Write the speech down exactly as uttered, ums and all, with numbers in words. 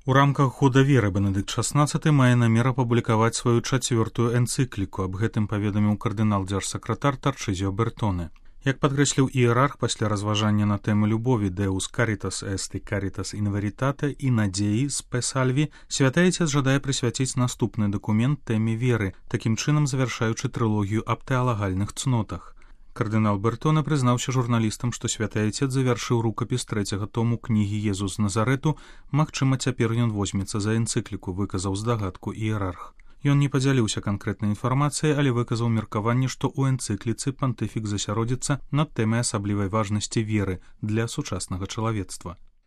У рамках года веры Бенедыкт шаснаццаты мае намер апублікаваць сваю чацвёртую энцыкліку. Аб гэтым паведаміў кардынал-дзяржсакратар Тарчызіо Бертоне. Як падкрэсліў іерарх пасля разважання на тэму любові Deus Caritas est и Caritas in Veritate і надзеі Spe Salvi, святы Айцец жадае прысвяціць наступны дакумент тэме веры, такім чынам завяршаючы трылогію аб тэалагальных цнотах. Кардынал Бертоне прызнаўся журналістам, што святы Айцец завяршыў рукапіс трэцяга тому кнігі «Езус з Назарету», магчыма, цяпер ён возьмецца за энцыкліку, выказаў здагадку іерарх. Ён не падзяліўся канкрэтнай інфармацыяй, але выказаў меркаванне, што ў энцыкліцы пантыфік засяродзіцца над тэмай асаблівай важнасці веры для сучаснага чалавецтва.